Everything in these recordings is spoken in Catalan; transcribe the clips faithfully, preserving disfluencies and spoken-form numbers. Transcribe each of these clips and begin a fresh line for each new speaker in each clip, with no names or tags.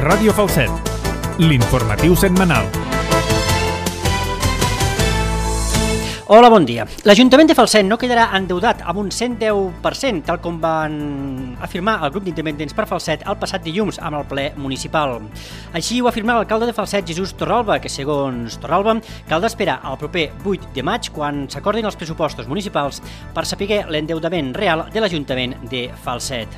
Ràdio Falset, l'informatiu setmanal.
Hola, bon dia. L'Ajuntament de Falset no quedarà endeutat amb un cent deu per cent, tal com van afirmar el grup d'independents per Falset el passat dilluns amb el ple municipal. Així ho ha afirmat l'alcalde de Falset, Jesús Torralba, que segons Torralba caldrà esperar al proper vuit de maig, quan s'acordin els pressupostos municipals, per saber l'endeutament real de l'Ajuntament de Falset.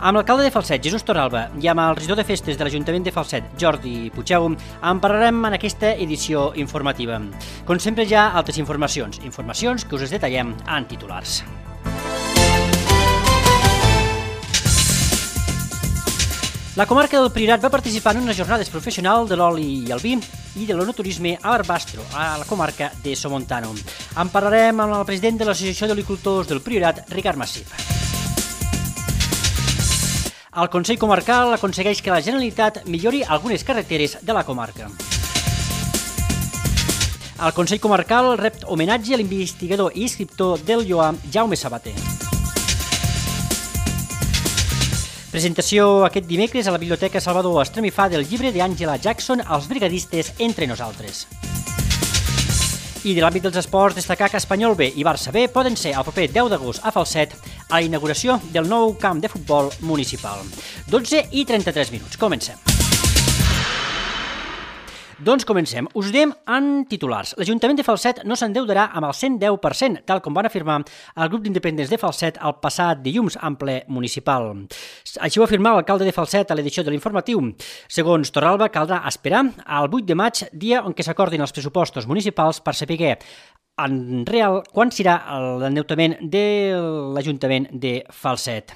Amb l'alcalde de Falset, Jesús Torralba, i amb el regidor de festes de l'Ajuntament de Falset, Jordi Puigeu, en parlarem en aquesta edició informativa. Com sempre, hi ha altres informacions. Informacions que us detallem en titulars. La comarca del Priorat va participar en unes jornades professionals de l'oli i el vi i de l'enoturisme a Barbastro, a la comarca de Somontano. En parlarem amb el president de l'Associació d'Olicultors del Priorat, Ricard Massip. El Consell Comarcal aconsegueix que la Generalitat millori algunes carreteres de la comarca. El Consell Comarcal rep homenatge a l'investigador i escriptor del Lloar, Jaume Sabater. Presentació aquest dimecres a la Biblioteca Salvador Estremifà del llibre d'Àngela Jackson, Els brigadistes entre nosaltres. I de l'àmbit dels esports, destacar que Espanyol B i Barça B poden ser el proper deu d'agost a Falset a la inauguració del nou camp de futbol municipal. dotze i trenta-tres minuts. Comencem. Doncs comencem. Us ho diem en titulars. L'Ajuntament de Falset no s'endeudarà amb el cent deu per cent, tal com van afirmar el grup d'independents de Falset el passat dilluns en ple municipal. Així ho ha afirmat l'alcalde de Falset a l'edició de l'informatiu. Segons Torralba, caldrà esperar al vuit de maig, dia on que s'acordin els pressupostos municipals, per saber en real quan serà l'endeutament de l'Ajuntament de Falset.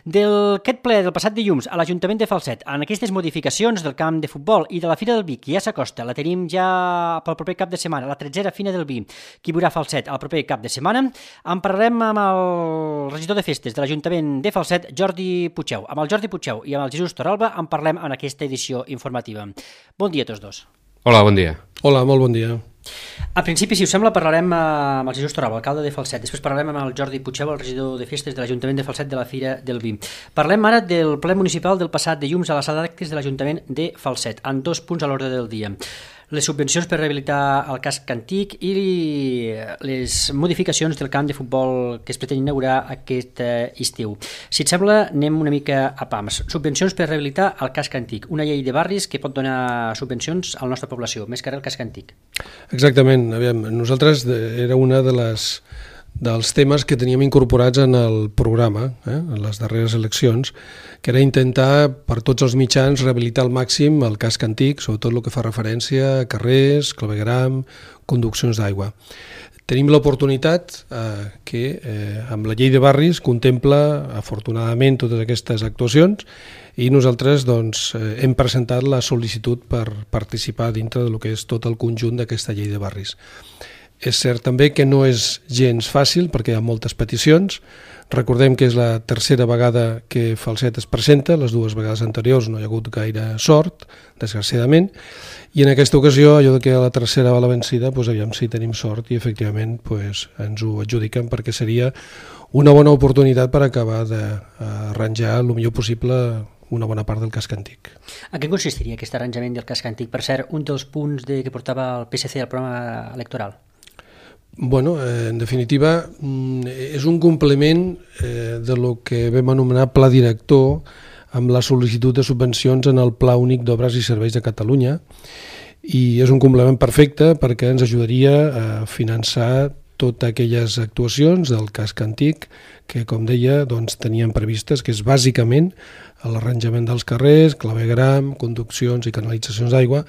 D'aquest ple del passat dilluns a l'Ajuntament de Falset, en aquestes modificacions del camp de futbol i de la Fira del Vi, que ja s'acosta, la tenim ja pel proper cap de setmana, la tretzena Fira del Vi, que hi haurà Falset el proper cap de setmana, en parlarem amb el regidor de festes de l'Ajuntament de Falset, Jordi Puigeu. Amb el Jordi Puigeu i amb el Jesús Torralba en parlem en aquesta edició informativa. Bon dia a tots dos.
Hola, bon dia.
Hola, molt bon dia.
A principi, si us sembla, parlarem amb el Jesús Torralba, alcalde de Falset. Després parlarem amb el Jordi Puigeu, el regidor de festes de l'Ajuntament de Falset de la Fira del Vi. Parlem ara del ple municipal del passat dilluns a la sala d'actes de l'Ajuntament de Falset, en dos punts a l'ordre del dia. Les subvencions per rehabilitar el casc antic i les modificacions del camp de futbol que es pretén inaugurar aquest estiu. Si et sembla, anem una mica a pams. Subvencions per rehabilitar el casc antic, una llei de barris que pot donar subvencions a la nostra població, més que res el casc antic.
Exactament. Aviam, nosaltres era una de les dels temes que teníem incorporats en el programa, eh, en les darreres eleccions, que era intentar per tots els mitjans rehabilitar al màxim el casc antic, sobretot el que fa referència a carrers, clavegueram, conduccions d'aigua. Tenim l'oportunitat eh, que eh, amb la llei de barris contempla afortunadament totes aquestes actuacions i nosaltres doncs, eh, hem presentat la sol·licitud per participar dintre del que és tot el conjunt d'aquesta llei de barris. És cert també que no és gens fàcil perquè hi ha moltes peticions. Recordem que és la tercera vegada que Falset es presenta, les dues vegades anteriors no hi ha hagut gaire sort, desgraciadament, i en aquesta ocasió, allò que la tercera va la vencida, doncs aviam si tenim sort i efectivament doncs, ens ho adjudiquen perquè seria una bona oportunitat per acabar d'arranjar el millor possible una bona part del casc antic.
En què consistiria aquest arranjament del casc antic? Per cert, un dels punts de, que portava el P S C al programa electoral.
Bueno, eh, en definitiva, és un complement eh, de lo que vam anomenar Pla Director amb la sol·licitud de subvencions en el Pla Únic d'Obres i Serveis de Catalunya i és un complement perfecte perquè ens ajudaria a finançar totes aquelles actuacions del casc antic que, com deia, doncs, tenien previstes, que és bàsicament l'arranjament dels carrers, clavegueram, conduccions i canalitzacions d'aigua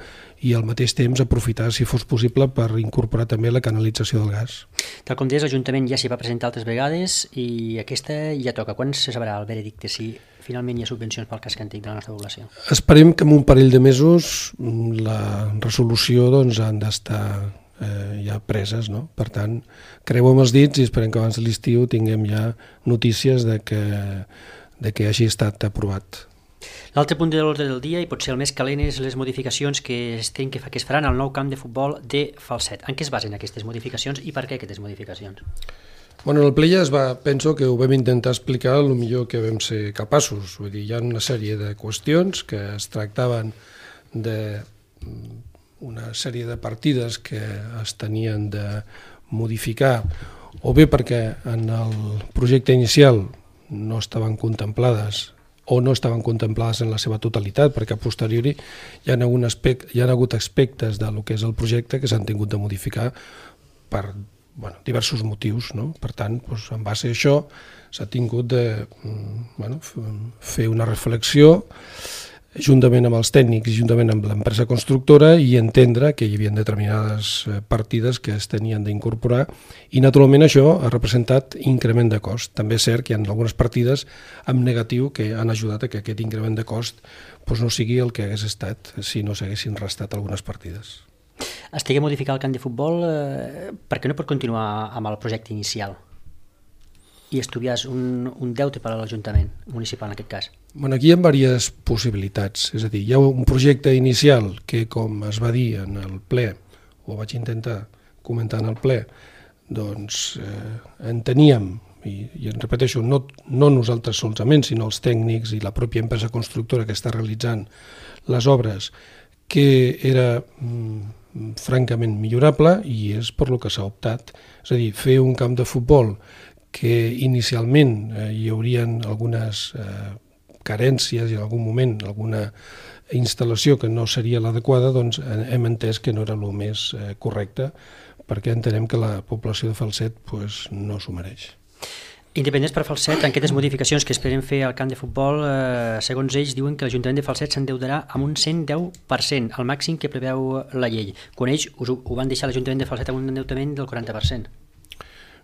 i al mateix temps aprofitar, si fos possible, per incorporar també la canalització del gas.
Tal com deies, l'Ajuntament ja s'hi va presentar altres vegades i aquesta ja toca. Quan se sabrà el veredicte si finalment hi ha subvencions pel casc antic de la nostra població?
Esperem que en un parell de mesos la resolució doncs, han d'estar eh, ja preses, no? Per tant, creuem els dits i esperem que abans de l'estiu tinguem ja notícies de que, de que hagi estat aprovat.
L'altre punt de l'ordre del dia, i potser el més calent, és les modificacions que es, que, fa, que es faran al nou camp de futbol de Falset. En què es basen aquestes modificacions i per què aquestes modificacions?
Bueno, en el ple ja es va, penso que ho vam intentar explicar el millor que vam ser capaços. Vull dir, hi ha una sèrie de qüestions que es tractaven d'una sèrie de partides que es tenien de modificar, o bé perquè en el projecte inicial no estaven contemplades o no estaven contemplades en la seva totalitat, perquè a posteriori hi ha, algun aspecte, hi ha hagut aspectes del que és el projecte que s'han tingut de modificar per bueno, diversos motius, no? Per tant, doncs, en base a això s'ha tingut de bueno, fer una reflexió juntament amb els tècnics i juntament amb l'empresa constructora i entendre que hi havia determinades partides que es tenien d'incorporar i naturalment això ha representat increment de cost. També és cert que hi ha algunes partides amb negatiu que han ajudat a que aquest increment de cost doncs, no sigui el que hagués estat si no s'haguessin restat algunes partides.
Estigué modificar el camp de futbol eh, perquè no pot continuar amb el projecte inicial i estudiàs un, un deute per a l'Ajuntament municipal en aquest cas.
Bueno, aquí hi ha diverses possibilitats, és a dir, hi ha un projecte inicial que, com es va dir en el ple, o vaig intentar comentar en el ple, doncs eh, enteníem, i, i en repeteixo, no, no nosaltres solament, sinó els tècnics i la pròpia empresa constructora que està realitzant les obres, que era mm, francament millorable i és per lo que s'ha optat. És a dir, fer un camp de futbol que inicialment eh, hi haurien algunes eh, carències i en algun moment alguna instal·lació que no seria l'adequada, doncs hem entès que no era el més eh, correcte perquè entenem que la població de Falset pues, no s'ho mereix.
Independents per Falset, en aquestes modificacions que esperen fer al camp de futbol, eh, segons ells diuen que l'Ajuntament de Falset s'endeutarà amb un cent deu per cent, el màxim que preveu la llei. Quan ells ho, ho van deixar l'Ajuntament de Falset amb un endeutament del quaranta per cent.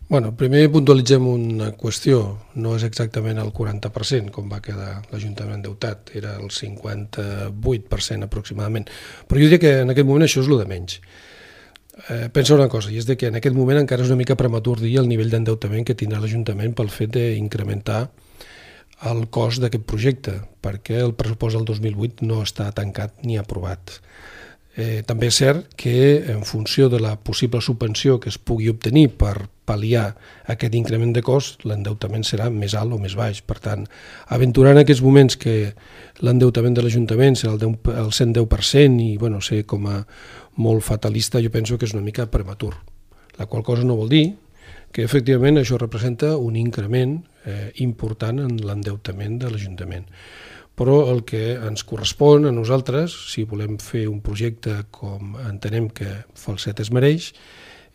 Bueno, primer puntualitzem una qüestió. No és exactament el quaranta per cent com va quedar l'Ajuntament endeutat, era el cinquanta-vuit per cent aproximadament. Però jo diria que en aquest moment això és el de menys. Eh, pensa una cosa, i és de que en aquest moment encara és una mica prematur dir el nivell d'endeutament que tindrà l'Ajuntament pel fet d'incrementar el cost d'aquest projecte, perquè el pressupost del dos mil vuit no està tancat ni aprovat. Eh, també és cert que en funció de la possible subvenció que es pugui obtenir per pal·liar aquest increment de cost, l'endeutament serà més alt o més baix. Per tant, aventurar en aquests moments que l'endeutament de l'Ajuntament serà el, el cent deu per cent i bueno, ser com a molt fatalista, jo penso que és una mica prematur. La qual cosa no vol dir que efectivament això representa un increment eh, important en l'endeutament de l'Ajuntament. Però el que ens correspon a nosaltres, si volem fer un projecte com entenem que Falset es mereix,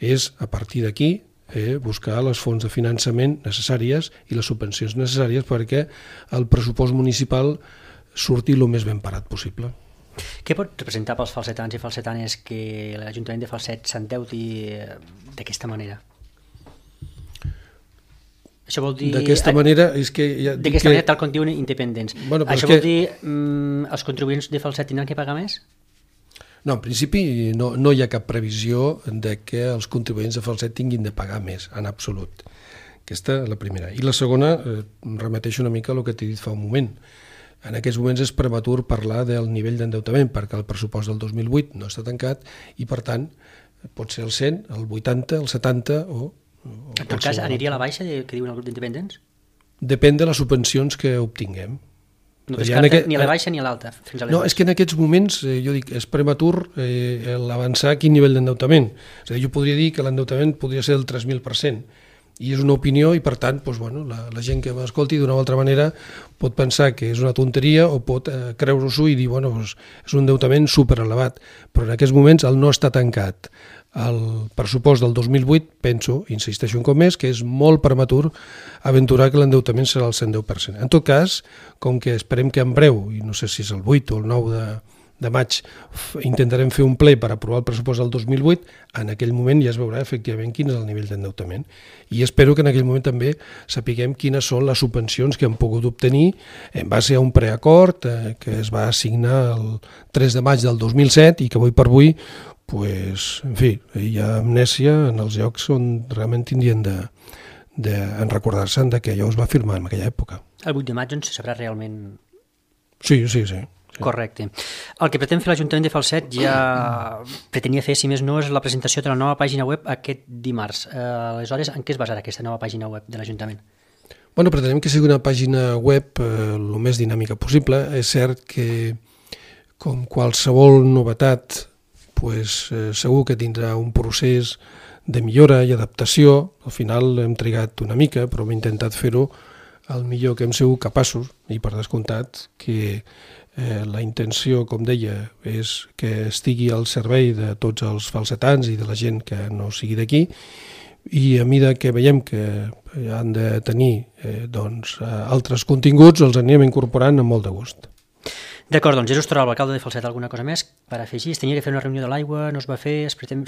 és a partir d'aquí eh, buscar les fonts de finançament necessàries i les subvencions necessàries perquè el pressupost municipal surti el més ben parat possible.
Què pot representar pels falsetans i falsetanes que l'Ajuntament de Falset s'endeuti d'aquesta manera? Això vol dir...
D'aquesta manera... És que ja
d'aquesta
que...
manera, tal com diuen independents.
Bueno,
Això
que...
vol dir mm, els contribuents de Falset tindran que pagar més?
No, en principi no, no hi ha cap previsió de que els contribuents de Falset tinguin de pagar més, en absolut. Aquesta és la primera. I la segona, eh, remeteixo una mica a el que t'he dit fa un moment. En aquests moments és prematur parlar del nivell d'endeutament perquè el pressupost del dos mil vuit no està tancat i, per tant, pot ser el cent, el vuitanta, el setanta o...
En tot cas, aniria a la baixa que diuen el grup d'independents?
Depèn de les subvencions que obtinguem.
No descarta aquest... ni a la baixa ni a l'alta?
No, és que en aquests moments, eh, jo dic, és prematur eh, l'avançar quin nivell d'endeutament. És a dir, jo podria dir que l'endeutament podria ser del tres mil per cent, i és una opinió i, per tant, doncs, bueno, la, la gent que m'escolti d'una o altra manera pot pensar que és una tonteria o pot eh, creure-s'ho i dir, bueno, doncs, és un endeutament superelevat, però en aquests moments el no està tancat. El pressupost del dos mil vuit, penso, insisteixo un cop més, que és molt prematur aventurar que l'endeutament serà el cent deu per cent. En tot cas, com que esperem que en breu, i no sé si és el vuit o el nou de, de maig, intentarem fer un ple per aprovar el pressupost del dos mil vuit, en aquell moment ja es veurà efectivament quin és el nivell d'endeutament. I espero que en aquell moment també sapiguem quines són les subvencions que hem pogut obtenir en base a un preacord eh, que es va assignar el tres de maig del dos mil set i que avui per avui pues, en fi, hi ha amnèsia en els llocs on realment tindrien de, de en recordar-se'n que allò es va firmar en aquella època.
El vuit de maig on se sabrà realment...
Sí, sí, sí.
Correcte. El que pretén fer l'Ajuntament de Falset ja pretenia fer, si més no, és la presentació de la nova pàgina web aquest dimarts. Eh, aleshores, en què es basarà aquesta nova pàgina web de l'Ajuntament?
Bueno, pretenem que sigui una pàgina web eh, el més dinàmica possible. És cert que, com qualsevol novetat, pues, eh, segur que tindrà un procés de millora i adaptació. Al final hem trigat una mica, però hem intentat fer-ho el millor que hem sigut capaços, i per descomptat que eh, la intenció, com deia, és que estigui al servei de tots els falsetans i de la gent que no sigui d'aquí, i a mesura que veiem que han de tenir eh, doncs, altres continguts, els anirem incorporant amb molt de gust.
D'acord, doncs Jesús Toral, l'alcalde de Falset, alguna cosa més per afegir? Es tenia que fer una reunió de l'aigua, no es va fer, es pretén...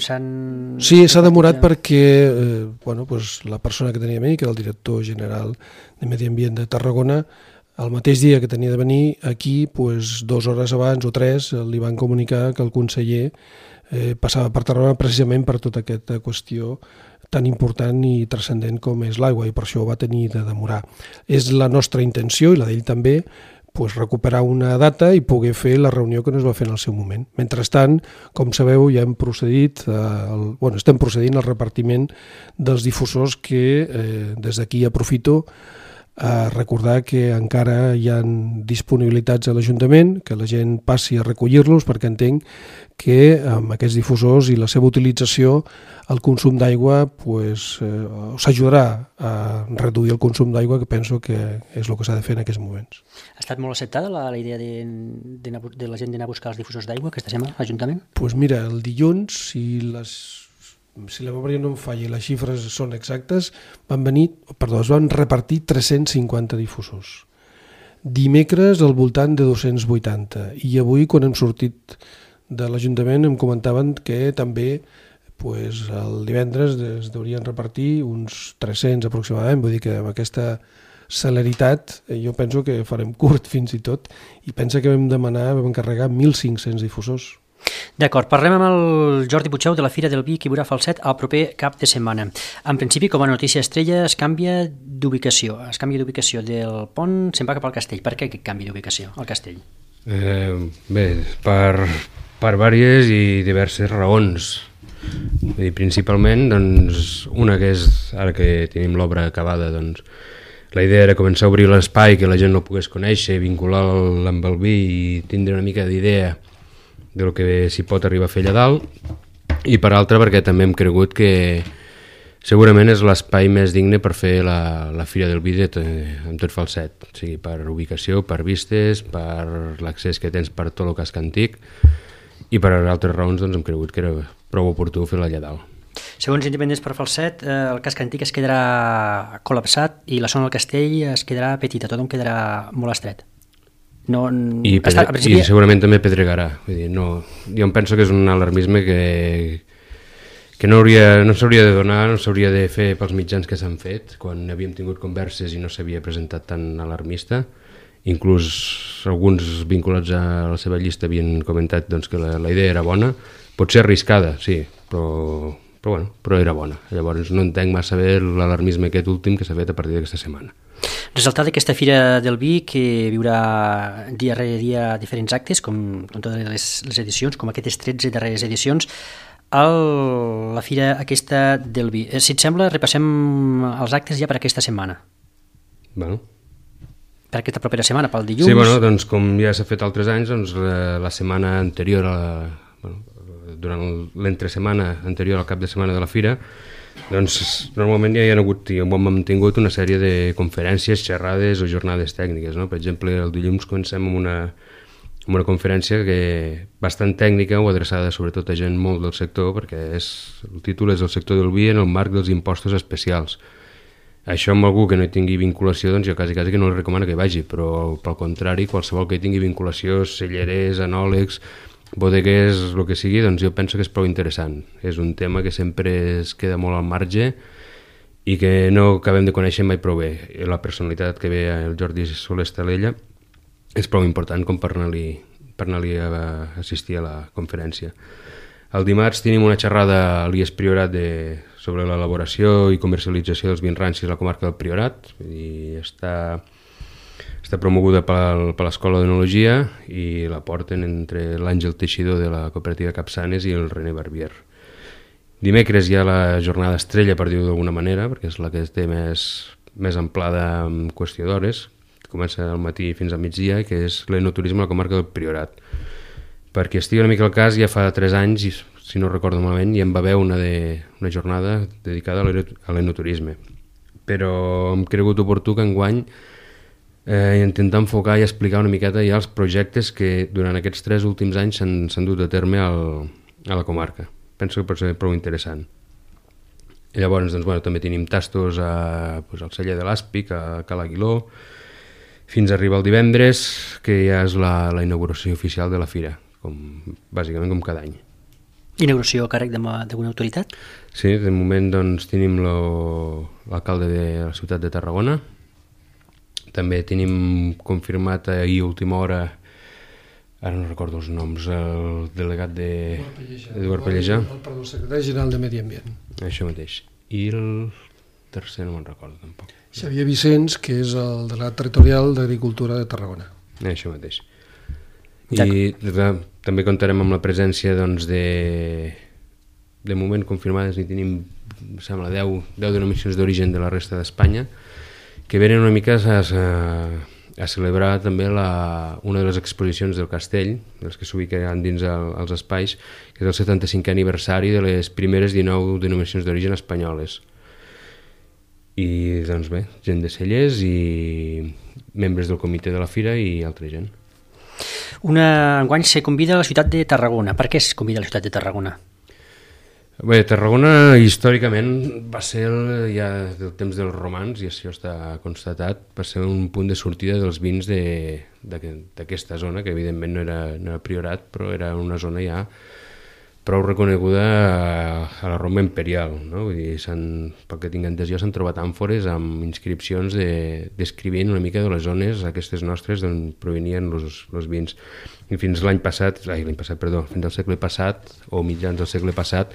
Sí, s'ha demorat perquè eh, bueno, pues, la persona que tenia a mi, que era el director general de Medi Ambient de Tarragona, el mateix dia que tenia de venir aquí, pues, dues hores abans o tres, li van comunicar que el conseller eh, passava per Tarragona precisament per tota aquesta qüestió tan important i transcendent com és l'aigua, i per això ho va tenir de demorar. És la nostra intenció, i la d'ell també, pues, recuperar una data i poder fer la reunió que no es va fer en el seu moment. Mentrestant, com sabeu, ja hem procedit, el, bueno, estem procedint al repartiment dels difusors que eh, des d'aquí aprofito a recordar que encara hi ha disponibilitats a l'Ajuntament, que la gent passi a recollir-los, perquè entenc que amb aquests difusors i la seva utilització el consum d'aigua pues, eh, s'ajudarà a reduir el consum d'aigua, que penso que és el que s'ha de fer en aquests moments.
Ha estat molt acceptada la, la idea de, de, de la gent d'anar a buscar els difusors d'aigua aquesta setmana a l'Ajuntament?
Doncs pues mira, el dilluns, si les... si la memòria no em falla i les xifres són exactes, van venir, perdó, es van repartir tres-cents cinquanta difusors. Dimecres al voltant de dos-cents vuitanta, i avui quan hem sortit de l'Ajuntament em comentaven que també pues, el divendres es deurien repartir uns tres-cents aproximadament, vull dir que amb aquesta celeritat jo penso que farem curt fins i tot, i pensa que vam demanar, vam encarregar mil cinc-cents difusors.
D'acord, parlem amb el Jordi Puigdeu de la Fira del Vi que hi haurà a Falset el proper cap de setmana. En principi, com a notícia estrella, es canvia d'ubicació. Es canvia d'ubicació del pont, se'n va cap al castell. Per què aquest canvi d'ubicació al castell?
Eh, bé, per, per diverses i diverses raons. I principalment, doncs, una que és, ara que tenim l'obra acabada, doncs, la idea era començar a obrir l'espai, que la gent no pogués conèixer, vincular-lo amb el vi i tindre una mica d'idea del que s'hi pot arribar a fer allà dalt, i per altra perquè també hem cregut que segurament és l'espai més digne per fer la, la Fira del Vi de tot, amb tot Falset, o sigui, per ubicació, per vistes, per l'accés que tens per tot el casc antic, i per altres raons doncs, hem cregut que era prou oportú fer-la allà dalt.
Segons Independents per Falset, eh, el casc antic es quedarà col·lapsat i la zona del castell es quedarà petita, tothom quedarà molt estret. No,
I, pedre, està, principi... i segurament també pedregarà. Vull dir, no, jo em penso que és un alarmisme que, que no, hauria, no s'hauria de donar, no s'hauria de fer pels mitjans que s'han fet, quan havíem tingut converses i no s'havia presentat tan alarmista. Inclús alguns vinculats a la seva llista havien comentat doncs, que la, la idea era bona, pot ser arriscada, sí, però, però, bueno, però era bona. Llavors no entenc massa bé l'alarmisme aquest últim que s'ha fet a partir d'aquesta setmana.
Resultat d'aquesta Fira del Vi, que viurà dia rere dia diferents actes, com, com totes les, les edicions, com aquestes tretze darreres edicions, el, la Fira aquesta del Vi. Si et sembla, repassem els actes ja per aquesta setmana.
Bueno.
Per aquesta propera setmana, pel dilluns.
Sí, bueno, doncs com ja s'ha fet altres anys, doncs la, la setmana anterior, a la, bueno, durant l'entresetmana anterior al cap de setmana de la Fira, doncs normalment ja hi ha hagut i hem mantingut una sèrie de conferències, xerrades o jornades tècniques, no? Per exemple, el dilluns comencem amb una, amb una conferència que bastant tècnica o adreçada sobretot a gent molt del sector, perquè és, el títol és el sector del vi en el marc dels impostos especials. Això amb algú que no hi tingui vinculació, doncs jo quasi, quasi que no li recomano que hi vagi, però pel contrari, qualsevol que hi tingui vinculació, cellerers, anòlegs, bodeguers, el que sigui, doncs jo penso que és prou interessant. És un tema que sempre es queda molt al marge i que no acabem de conèixer mai prou bé. La personalitat que ve el Jordi Soler Estalella és prou important com per anar-li per anar-li a assistir a la conferència. El dimarts tenim una xerrada a l'I E S Priorat de, sobre l'elaboració i comercialització dels vins rancis a la comarca del Priorat. I està, Està promoguda per, per l'Escola d'Enologia i la porten entre l'Àngel Teixidor de la cooperativa Capçanes i el René Barbier. Dimecres hi ha la jornada estrella, per dir-ho d'alguna manera, perquè és la que té més, més amplada en qüestió d'hores, comença al matí fins al migdia, que és l'enoturisme a la comarca del Priorat. Perquè estigui una mica al cas, ja fa tres anys, si no recordo malament, ja en va haver una, de, una jornada dedicada a l'enoturisme. Però hem cregut oportú que enguany eh, intentar enfocar i explicar una miqueta ja els projectes que durant aquests tres últims anys s'han dut a terme al, a la comarca. Penso que pot ser prou interessant. I llavors doncs, bueno, també tenim tastos a, pues, al celler de l'Àspic, a Cal Aguiló, fins a arribar el divendres, que ja és la, la inauguració oficial de la fira, com, bàsicament com cada any.
Inauguració a càrrec d'alguna autoritat?
Sí, de moment doncs, tenim l'alcalde de la ciutat de Tarragona. També tenim confirmat ahir a última hora, ara no recordo els noms, el delegat de Eduard Pellejà.
El, perdó, el secretari general de Medi Ambient.
Això mateix. I el tercer no me'n recordo tampoc.
Xavier Vicenç, que és el delegat territorial d'Agricultura de Tarragona.
Això mateix. I també comptarem amb la presència doncs, de, de moment confirmades, i tenim, em sembla, deu denominacions d'origen de la resta d'Espanya, que venen una mica a, a, a celebrar també la, una de les exposicions del castell, dels que s'ubicaran dins el, els espais, que és el setanta-cinquè aniversari de les primeres dinou denominacions d'origen espanyoles. I doncs bé, gent de cellers i membres del comitè de la fira i altra gent.
Una, enguany se convida a la ciutat de Tarragona. Per què es convida a la ciutat de Tarragona?
Bé, Tarragona històricament va ser, el, ja del temps dels romans, i això està constatat, va ser un punt de sortida dels vins d'aquesta zona, que evidentment no era, no era Priorat, però era una zona ja prou reconeguda a, a la Roma imperial, no? Vull dir, pel que tinc entès jo, s'han trobat àmfores amb inscripcions de, descrivint una mica de les zones aquestes nostres d'on provenien els vins. I fins l'any passat, ai, l'any passat, perdó, fins al segle passat, o mitjans del segle passat,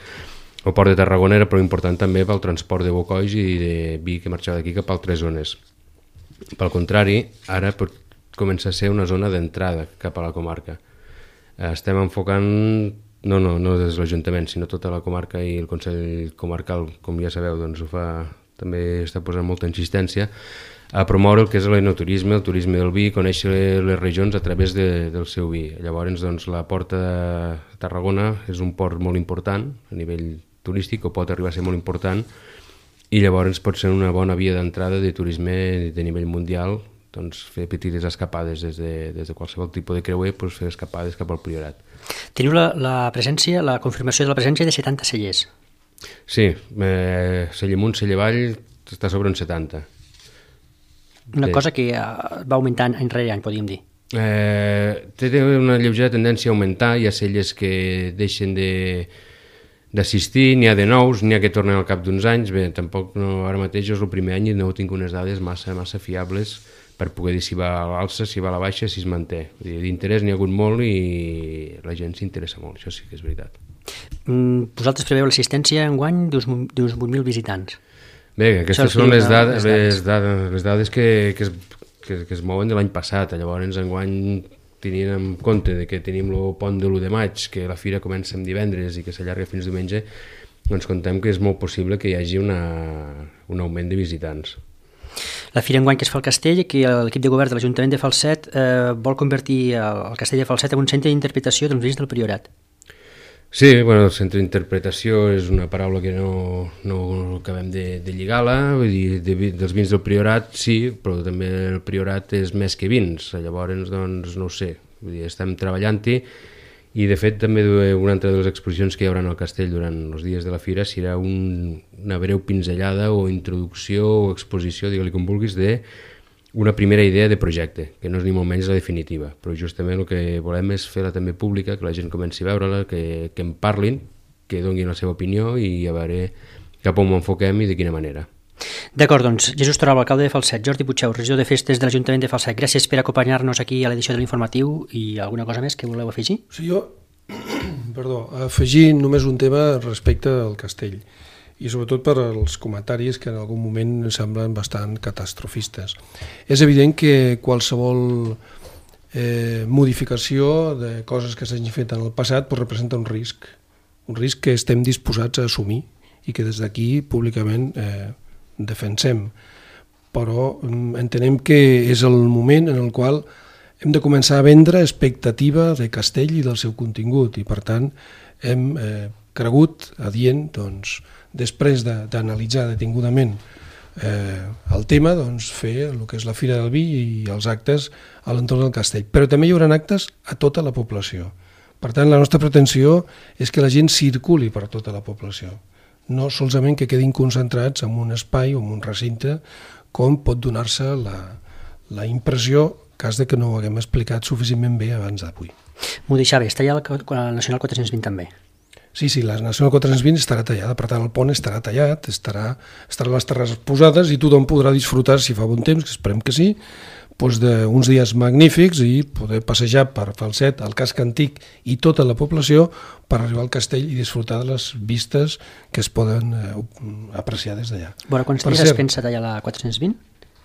el port de Tarragona era prou important també pel transport de bocois i de vi que marxava d'aquí cap a altres zones. Pel contrari, ara pot començar a ser una zona d'entrada cap a la comarca. Estem enfocant No, no, no des de l'Ajuntament, sinó tota la comarca i el Consell Comarcal, com ja sabeu, doncs ho fa, també està posant molta insistència a promoure el que és l'enoturisme, el turisme del vi, conèixer les regions a través de, del seu vi. Llavors, doncs, la Porta de Tarragona és un port molt important a nivell turístic, o pot arribar a ser molt important, i llavors pot ser una bona via d'entrada de turisme de nivell mundial, doncs fer petites escapades des de, des de qualsevol tipus de creuer, doncs fer escapades cap al Priorat.
Teniu la, la presència, la confirmació de la presència de setanta cellers.
Sí, eh, celler amunt, celler avall, està sobre un setanta.
Una
sí.
cosa que va augmentant any rere any, podríem dir.
Eh, té una lleugera tendència a augmentar, hi ha cellers que deixen de d'assistir, n'hi ha de nous, n'hi ha que tornen al cap d'uns anys. Bé, tampoc no, ara mateix és el primer any i no tinc unes dades massa, massa fiables per poder dir si va a l'alça, si va a la baixa, si es manté. D'interès n'hi ha hagut molt i la gent s'interessa molt, això sí que és veritat.
Mm, vosaltres preveu l'assistència enguany d'uns vuit mil visitants.
Bé, aquestes són les dades, les dades, les dades que, que, es, que, que es mouen de l'any passat. Llavors enguany, tenint en compte de que tenim el pont de l'u de maig, que la fira comença en divendres i que s'allarga fins diumenge, doncs contem que és molt possible que hi hagi una, un augment de visitants.
La fira enguany que es fa al Castell, que l'equip de govern de l'Ajuntament de Falset eh, vol convertir el Castell de Falset en un centre d'interpretació dels vins del Priorat.
Sí, bueno, el centre d'interpretació és una paraula que no, no acabem de, de lligar-la, vull dir, de, dels vins del Priorat sí, però també el Priorat és més que vins, llavors doncs no ho sé, vull dir, estem treballant-hi. I de fet també una altra de les exposicions que hi haurà al castell durant els dies de la fira serà un, una breu pinzellada o introducció o exposició, digue-li com vulguis, d'una primera idea de projecte, que no és ni molt menys la definitiva, però justament el que volem és fer-la també pública, que la gent comenci a veure-la, que, que en parlin, que donin la seva opinió i a veure cap on ho enfoquem i de quina manera.
D'acord, doncs, Jesús Torralba, alcalde de Falset, Jordi Puigxeu, regidor de Festes de l'Ajuntament de Falset, gràcies per acompanyar-nos aquí a l'edició de l'informatiu i alguna cosa més que voleu afegir?
Sí, jo, perdó, afegir només un tema respecte al castell. i sobretot per als comentaris que en algun moment semblen bastant catastrofistes. És evident que qualsevol eh, modificació de coses que s'hagin fet en el passat pues, representa un risc, un risc que estem disposats a assumir i que des d'aquí públicament eh, defensem. Però entenem que és el moment en el qual hem de començar a vendre expectativa de Castell i del seu contingut i per tant hem eh, cregut adient, doncs, després d'analitzar de, detingudament eh, el tema, doncs, fer el que és la Fira del Vi i els actes a l'entorn del castell. Però també hi haurà actes a tota la població. Per tant, la nostra pretensió és que la gent circuli per tota la població, no solament que quedin concentrats en un espai o en un recinte, com pot donar-se la, la impressió cas de que no ho haguem explicat suficientment bé abans d'avui.
M'ho deixava, està allà la Nacional quatre-cents vint també.
Sí, sí, la Nacional quatre-cents vint estarà tallada, per tant el pont estarà tallat, estarà, estarà les terrasses posades i tothom podrà disfrutar, si fa bon temps, que esperem que sí, doncs d'uns dies magnífics i poder passejar per Falset, el casc antic i tota la població per arribar al castell i disfrutar de les vistes que es poden eh, apreciar des d'allà.
Bueno, quants dies es pensa tallar la quatre-cents vint?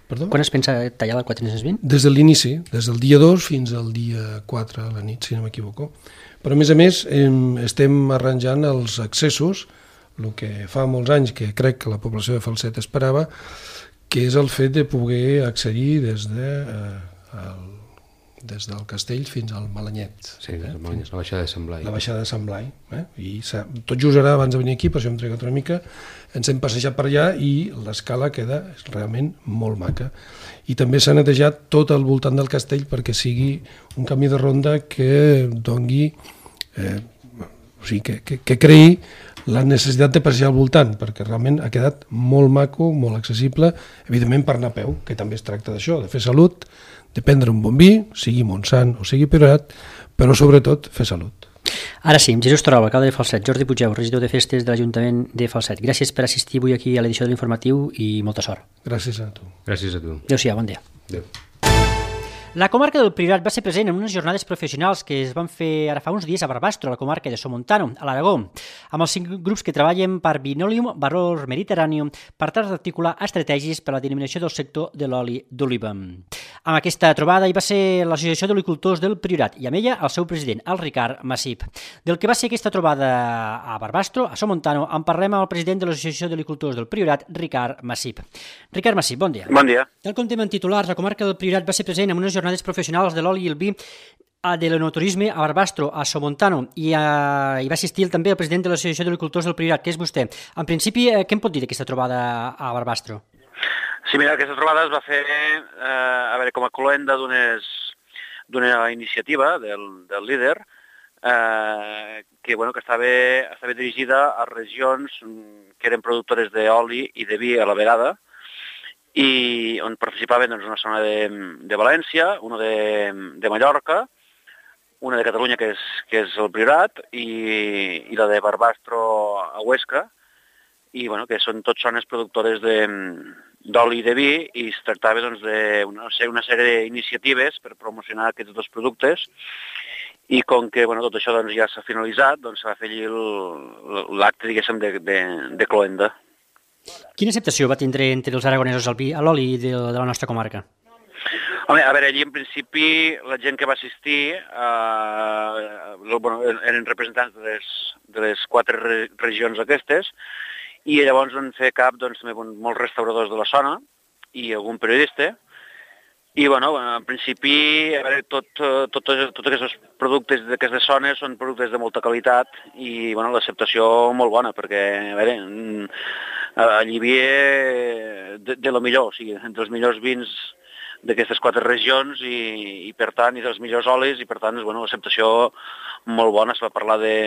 Perdó?
Quan es pensa tallar la quatre-cents vint?
Des de l'inici, des del dia dos fins al dia quatre a la nit, si no m'equivoco. Però a més a més estem arranjant els accessos, el que fa molts anys que crec que la població de Falset esperava, que és el fet de poder accedir des, de, eh, el, des del castell fins al Malanyet.
Sí, eh? la baixada de Sant Blai.
La baixada de Sant Blai. Eh? I tot just ara, abans de venir aquí, per això hem trigat una mica, ens hem passejat per allà i l'escala queda realment molt maca. I també s'ha netejat tot al voltant del castell perquè sigui un camí de ronda que dongui, eh, o sigui, que, que, que creï la necessitat de passejar al voltant, perquè realment ha quedat molt maco, molt accessible, evidentment per anar a peu, que també es tracta d'això, de fer salut, de prendre un bon vi, sigui Montsant o sigui Priorat, però sobretot fer salut.
Ara sí, Jesús Torrau, alcalde de Falset, Jordi Puigdeu, regidor de Festes de l'Ajuntament de Falset. Gràcies per assistir avui aquí a l'edició de l'Informatiu i molta sort.
Gràcies a tu.
Gràcies a tu.
Adéu-siau, bon dia.
Adéu.
La comarca del Priorat va ser present en unes jornades professionals que es van fer ara fa uns dies a Barbastro, a la comarca de Somontano, a l'Aragó, amb els cinc grups que treballen per Vinolium Valor Mediterrànium per tal d'articular estratègies per a la denominació del sector de l'oli d'oliva. Amb aquesta trobada hi va ser l'Associació d'Olicultors del Priorat i amb ella el seu president, el Ricard Massip. Del que va ser aquesta trobada a Barbastro, a Somontano, en parlem amb el president de l'Associació d'Olicultors del Priorat, Ricard Massip. Ricard Massip, bon dia.
Bon dia.
Tal com tema en titulars, la comarca del Priorat va ser present en unes jornades professionals de l'oli i el vi de l'enoturisme a Barbastro, a Somontano, i uh, hi va assistir també el president de l'Associació d'Agricultors del Priorat, que és vostè. En principi, eh, què em pot dir d'aquesta trobada a Barbastro?
Sí, mira, aquesta trobada es va fer eh, a veure, com a cloenda d'una iniciativa del, del líder eh, que, bueno, que estava, estava dirigida a regions que eren productores d'oli i de vi a la vegada, i on participaven doncs, una zona de, de València, una de, de Mallorca, una de Catalunya, que és, que és el Priorat, i, i la de Barbastro a Huesca, i bueno, que són tot zones productores d'oli i de vi, i es tractava doncs, de una, una sèrie d'iniciatives per promocionar aquests dos productes, i com que bueno, tot això doncs, ja s'ha finalitzat, doncs, se va fer l'acte, diguéssim, de, de, de cloenda.
Quina acceptació va tindre entre els aragonesos el vi, l'oli de, de la nostra comarca?
Home, a veure, allí en principi la gent que va assistir eh, bueno, eren representants de les, de les quatre re regions aquestes, i llavors van fer cap doncs, molts restauradors de la zona i algun periodista, i bueno, en principi a veure, tot, tot, tot, tots aquests productes d'aquestes zones són productes de molta qualitat i bueno, l'acceptació molt bona, perquè a veure, allí hi havia de, de lo millor, o sigui, entre els millors vins d'aquestes quatre regions i, i per tant, i dels millors olis, i per tant, bueno, l'acceptació molt bona. Se va parlar de,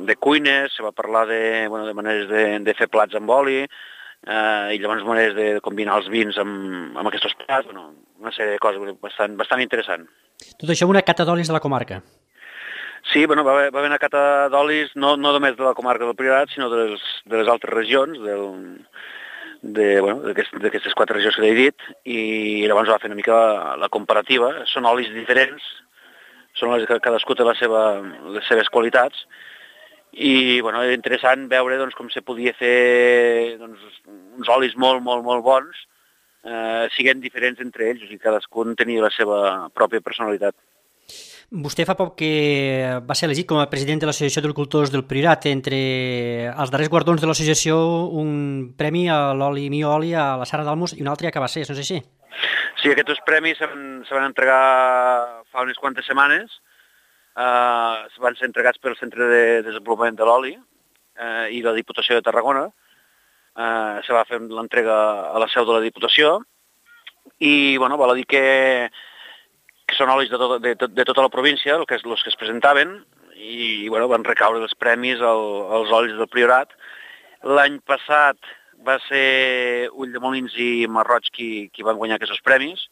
de cuines, se va parlar de, bueno, de maneres de, de fer plats amb oli, eh, i llavors maneres de combinar els vins amb, amb aquests plats, bueno, una sèrie de coses bastant, bastant interessant.
Tot això una cata d'olis de la comarca?
Sí, bueno, va haver, va haver una cata d'olis no, no només de la comarca del Priorat, sinó de les, de les altres regions, del, de, bueno, d'aquestes quatre regions que he dit, i llavors va fer una mica la, la comparativa. Són olis diferents, són olis que cadascú té la seva, les seves qualitats, i bueno, era interessant veure doncs, com se podia fer doncs, uns olis molt, molt, molt bons, eh, siguent diferents entre ells, o sigui, cadascun tenia la seva pròpia personalitat.
Vostè fa poc que va ser elegit com a president de l'Associació d'Agricultors del Priorat. Entre els darrers guardons de l'associació, un premi a l'oli Mio Oli a la Sara d'Almos i un altre a Cabassers, no és així?
Sí, aquests premis se van, se van entregar fa unes quantes setmanes. Uh, van ser entregats pel Centre de Desenvolupament de l'Oli uh, i la Diputació de Tarragona. Uh, se va fer l'entrega a la seu de la Diputació i bueno, val a dir que, que són olis de, tot, de, de tota la província, el que és, els que es presentaven, i bueno, van recaure els premis al, als olis del Priorat. L'any passat va ser Ulldemolins i Marroig qui, qui van guanyar aquests premis,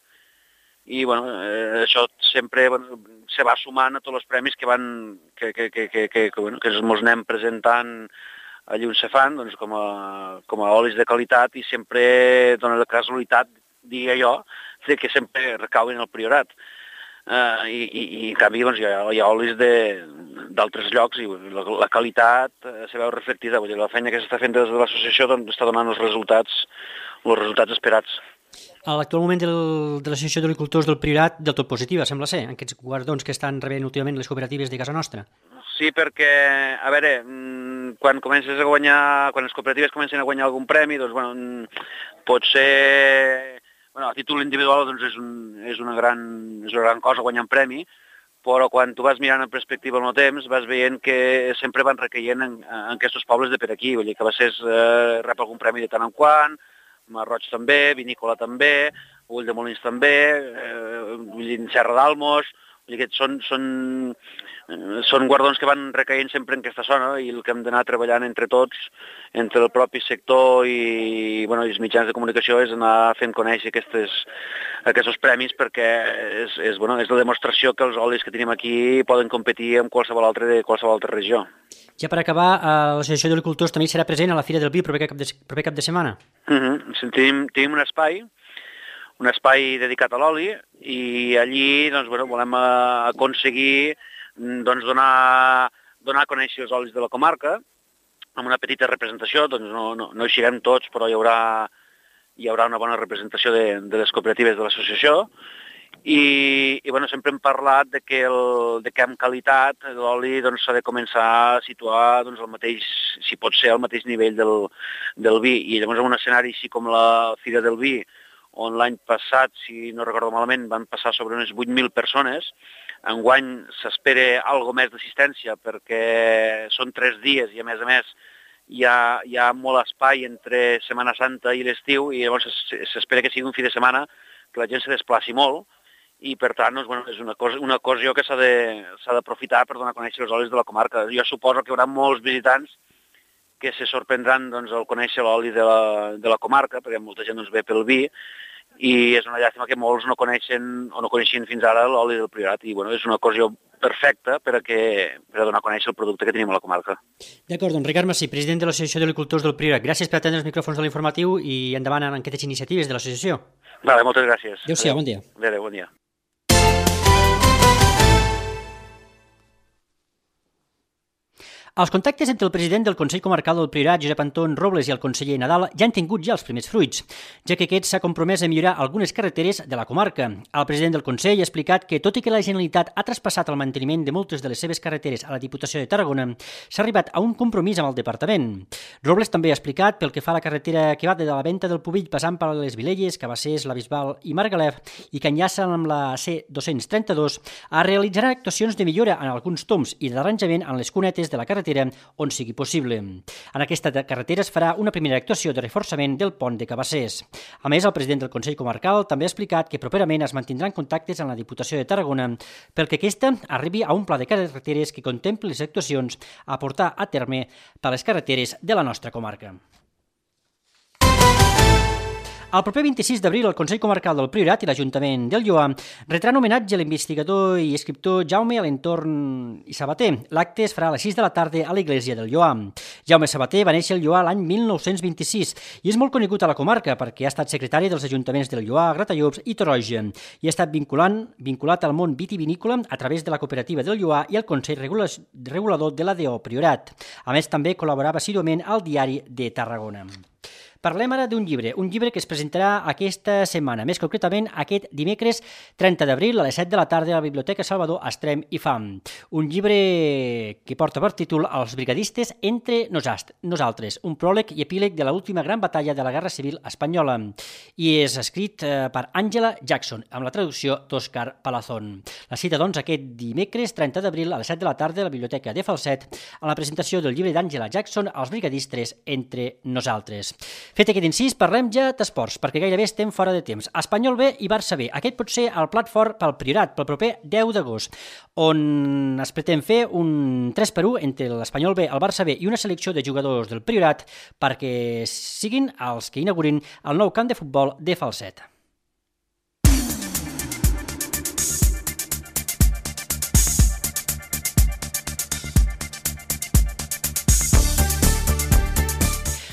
i bueno, eh, això sempre bueno, se va sumant a tots els premis que van que, que, que, que, que, que, bueno, que ens anem presentant allí on se fan, doncs, com, a, com a olis de qualitat, i sempre dona la casualitat, diria jo, de que sempre recauen al Priorat. Uh, i, i, i en canvi doncs, hi, ha, hi ha olis d'altres llocs i la, la qualitat uh, se veu reflectida. Vull dir, la feina que s'està fent des de l'associació doncs, està donant els resultats, els resultats esperats.
A l'actual moment del, de l'Associació d'Agricultors del Priorat, del tot positiva, sembla ser, en aquests guardons que estan rebent últimament les cooperatives de casa nostra.
Sí, perquè, a veure, quan comences a guanyar, quan les cooperatives comencen a guanyar algun premi, doncs, bueno, pot ser, bueno, a títol individual, doncs, és, un, és, una gran, és una gran cosa guanyar un premi, però quan tu vas mirant en perspectiva en el temps, vas veient que sempre van recaient en, en aquests pobles de per aquí, vull dir, que Cabassers eh, rep algun premi de tant en quant, Marroig també, Vinícola també, Ulldemolins també, eh, vull dir, Serra d'Almos, vull dir que són, són, eh, són guardons que van recaient sempre en aquesta zona i el que hem d'anar treballant entre tots, entre el propi sector i, bueno, i els mitjans de comunicació és anar fent conèixer aquestes, aquests premis perquè és, és, bueno, és la demostració que els olis que tenim aquí poden competir amb qualsevol altre de qualsevol altra regió.
Ja per acabar, l'Associació d'Agricultors també serà present a la Fira del Vi el proper cap de, proper cap de setmana.
Uh-huh. Tenim, tenim un espai, un espai dedicat a l'oli i allí doncs, bueno, volem aconseguir doncs, donar, donar a conèixer els olis de la comarca amb una petita representació, doncs no, no, no hi siguem tots, però hi haurà, hi haurà una bona representació de, de les cooperatives de l'associació. I, i bueno, sempre hem parlat de que, el, de que amb qualitat l'oli doncs, s'ha de començar a situar doncs, el mateix, si pot ser al mateix nivell del, del vi, i llavors en un escenari així com la Fira del Vi, on l'any passat, si no recordo malament, van passar sobre unes vuit mil persones, enguany s'espera algo més d'assistència perquè són tres dies i a més a més hi ha, hi ha molt espai entre Setmana Santa i l'estiu i llavors s'espera que sigui un fi de setmana que la gent se desplaci molt, i per tant doncs, bueno, és una, cosa, una ocasió que s'ha d'aprofitar per donar a conèixer els olis de la comarca. Jo suposo que hi haurà molts visitants que se sorprendran doncs, al conèixer l'oli de, la, de la comarca, perquè molta gent doncs, ve pel vi, i és una llàstima que molts no coneixen o no coneixien fins ara l'oli del Priorat, i bueno, és una ocasió perfecta per a, que, per a donar a conèixer el producte que tenim a la comarca.
D'acord, doncs Ricard Massí, president de l'Associació d'Agricultors del Priorat, gràcies per atendre els micròfons de l'informatiu i endavant en aquestes iniciatives de l'associació.
Vale, moltes gràcies.
Adéu-siau, bon dia.
Adéu, bon dia.
Els contactes entre el president del Consell Comarcal del Priorat, Josep Anton Robles, i el conseller Nadal ja han tingut ja els primers fruits, ja que aquest s'ha compromès a millorar algunes carreteres de la comarca. El president del Consell ha explicat que, tot i que la Generalitat ha traspassat el manteniment de moltes de les seves carreteres a la Diputació de Tarragona, s'ha arribat a un compromís amb el departament. Robles també ha explicat, pel que fa a la carretera que va de la Venta del Pubill passant per les Vilelles, Cabassers, la Bisbal i Margalef i que enllaça amb la C dos-cents trenta-dos, es realitzaran actuacions de millora en alguns toms i d'arranjament en les cunetes de la carretera on sigui possible. En aquesta carretera es farà una primera actuació de reforçament del pont de Cabassers. A més, el president del Consell Comarcal també ha explicat que properament es mantindran contactes amb la Diputació de Tarragona perquè aquesta arribi a un pla de carreteres que contempli les actuacions a portar a terme per les carreteres de la nostra comarca. El proper vint-i-sis d'abril, el Consell Comarcal del Priorat i l'Ajuntament del Lloar retran homenatge a l'investigador i escriptor Jaume Alentorn i Sabater. L'acte es farà a les sis de la tarda a l'Església del Lloar. Jaume Sabater va néixer al Lloar l'any mil nou-cents vint-i-sis i és molt conegut a la comarca perquè ha estat secretari dels ajuntaments del Lloar, Gratallops i Torroja i ha estat vinculant, vinculat al món vitivinícola a través de la cooperativa del Lloar i el Consell Regulador de l'A D O Priorat. A més, també col·laborava assíduament al Diari de Tarragona. Parlem ara d'un llibre, un llibre que es presentarà aquesta setmana, més concretament aquest dimecres trenta d'abril a les set de la tarda a la Biblioteca Salvador Estrem i Fam. Un llibre que porta per títol Els brigadistes entre nosaltres, un pròleg i epíleg de l'última gran batalla de la Guerra Civil Espanyola i és escrit per Àngela Jackson, amb la traducció d'Òscar Palazón. La cita, doncs, aquest dimecres trenta d'abril a les set de la tarda a la Biblioteca de Falset a la presentació del llibre d'Àngela Jackson Els brigadistes entre nosaltres. Fet aquest incís, parlem ja d'esports, perquè gairebé estem fora de temps. Espanyol B i Barça B. Aquest pot ser el plat fort pel Priorat, pel proper deu d'agost, on es pretén fer un tres per u entre l'Espanyol B, el Barça B i una selecció de jugadors del Priorat perquè siguin els que inaugurin el nou camp de futbol de Falset.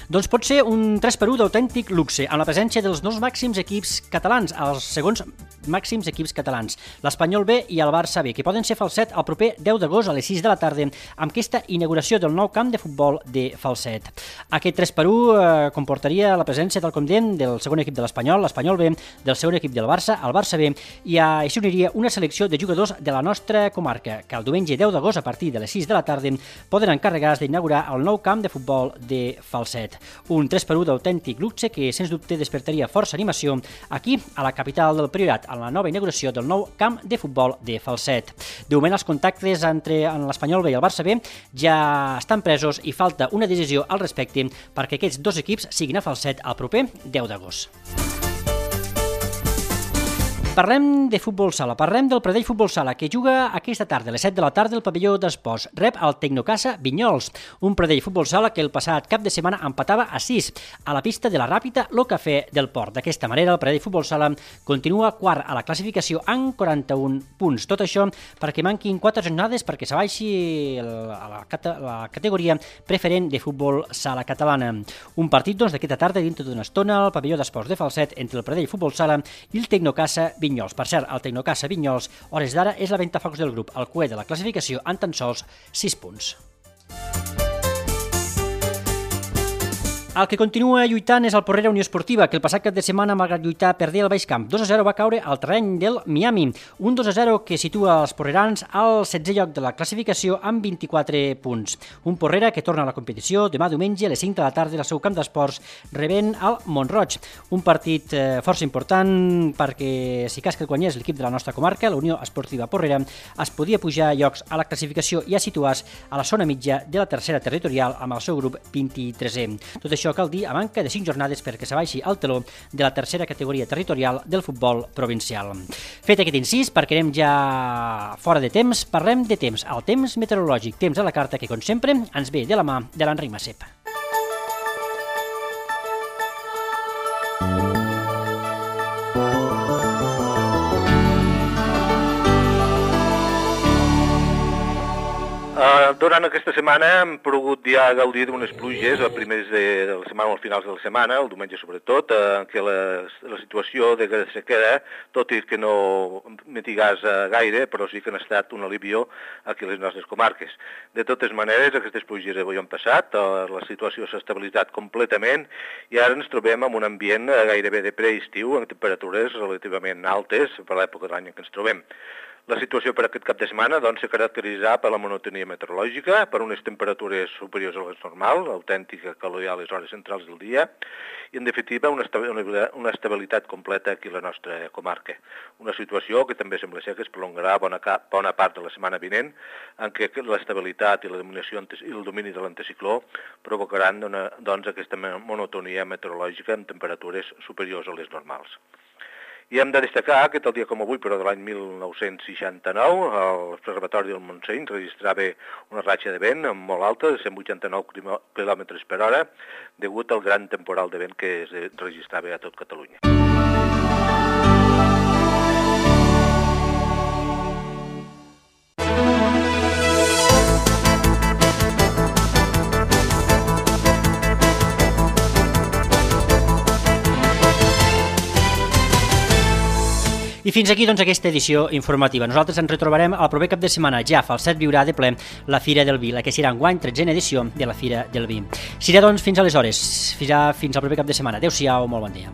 Doncs pot ser un tres per u d'autèntic luxe, amb la presència dels dos màxims equips catalans, els segons màxims equips catalans, l'Espanyol B i el Barça B, que poden ser Falset el proper deu d'agost a les sis de la tarda amb aquesta inauguració del nou camp de futbol de Falset. Aquest tres per u eh, comportaria la presència, tal com diem, del segon equip de l'Espanyol, l'Espanyol B, del segon equip del Barça, el Barça B, i així uniria una selecció de jugadors de la nostra comarca, que el diumenge deu d'agost a partir de les sis de la tarda poden encarregar-se d'inaugurar el nou camp de futbol de Falset. Un tres per u d'autèntic luxe que, sens dubte, despertaria força animació aquí, a la capital del Priorat, a la nova inauguració del nou camp de futbol de Falset. De moment, els contactes entre l'Espanyol B i el Barça B ja estan presos i falta una decisió al respecte perquè aquests dos equips siguin a Falset el proper deu d'agost. Parlem de futbol sala, parlem del Pradell Futbol Sala, que juga aquesta tarda, a les set de la tarda, al pavelló d'esports. Rep el Tecnocasa Vinyols, un Pradell Futbol Sala que el passat cap de setmana empatava a sis a la pista de la Ràpita Lo Cafè del Port. D'aquesta manera, el Pradell Futbol Sala continua quart a la classificació amb quaranta-un punts. Tot això perquè manquin quatre jornades perquè s'abaixi a la, cata, la categoria preferent de futbol sala catalana. Un partit, doncs, d'aquesta tarda, dintre d'una estona, al pavelló d'esports de Falset, entre el Pradell Futbol Sala i el Tecnocasa Vinyols. Vinyols. Per cert, el Tecnocasa Vinyols, hores d'ara, és la ventafocs del grup, el cué de la classificació amb tan sols sis punts. El que continua lluitant és el Porrera Unió Esportiva, que el passat cap de setmana, malgrat lluitar, perdé el Baix Camp. dos a zero va caure al terreny del Miami. Un dos a zero que situa els porrerans al setzè lloc de la classificació amb vint-i-quatre punts. Un Porrera que torna a la competició demà diumenge a les cinc de la tarda al seu camp d'esports rebent el Mont-roig. Un partit eh, força important perquè si cas que el guanyés l'equip de la nostra comarca, la Unió Esportiva Porrera, es podia pujar llocs a la classificació i a situar-se a la zona mitja de la tercera territorial amb el seu grup vint-i-tresè. Tot això cal dir a manca de cinc jornades perquè s'abaixi el teló de la tercera categoria territorial del futbol provincial. Fet aquest incís, perquè anem ja fora de temps, parlem de temps, el temps meteorològic, temps a la carta que, com sempre, ens ve de la mà de l'Enric Massep.
Uh, durant aquesta setmana hem pogut ja gaudir d'unes pluges a primers de, de la setmana o als finals de la setmana, el diumenge sobretot, en què la, la situació de sequera, tot i que no mitigàs uh, gaire, però sí que han estat un alivió aquí a les nostres comarques. De totes maneres, aquestes pluges avui han passat, uh, la situació s'ha estabilitzat completament i ara ens trobem en un ambient uh, gairebé de preestiu, amb temperatures relativament altes per l'època de l'any en què ens trobem. La situació per aquest cap de setmana doncs, se caracteritza per la monotonia meteorològica, per unes temperatures superiors a les normals, autèntica calor a les hores centrals del dia, i en definitiva una estabilitat, una estabilitat completa aquí a la nostra comarca. Una situació que també sembla ser que es prolongarà bona, bona part de la setmana vinent, en què l'estabilitat i la dominació i el domini de l'anticicló provocaran una, doncs, aquesta monotonia meteorològica amb temperatures superiors a les normals. I hem de destacar que tal dia com avui, però de l'any mil nou-cents seixanta-nou, el Observatori del Montseny registrava una ratxa de vent molt alta, de cent vuitanta-nou quilòmetres per hora, degut al gran temporal de vent que es registrava a tot Catalunya.
I fins aquí doncs, aquesta edició informativa. Nosaltres ens retrobarem el proper cap de setmana. Ja Falset viurà de ple la Fira del Vi, la que serà enguany tretzena edició de la Fira del Vi. Serà doncs fins aleshores, fins, a, fins al proper cap de setmana. Adéu-siau, molt bon dia.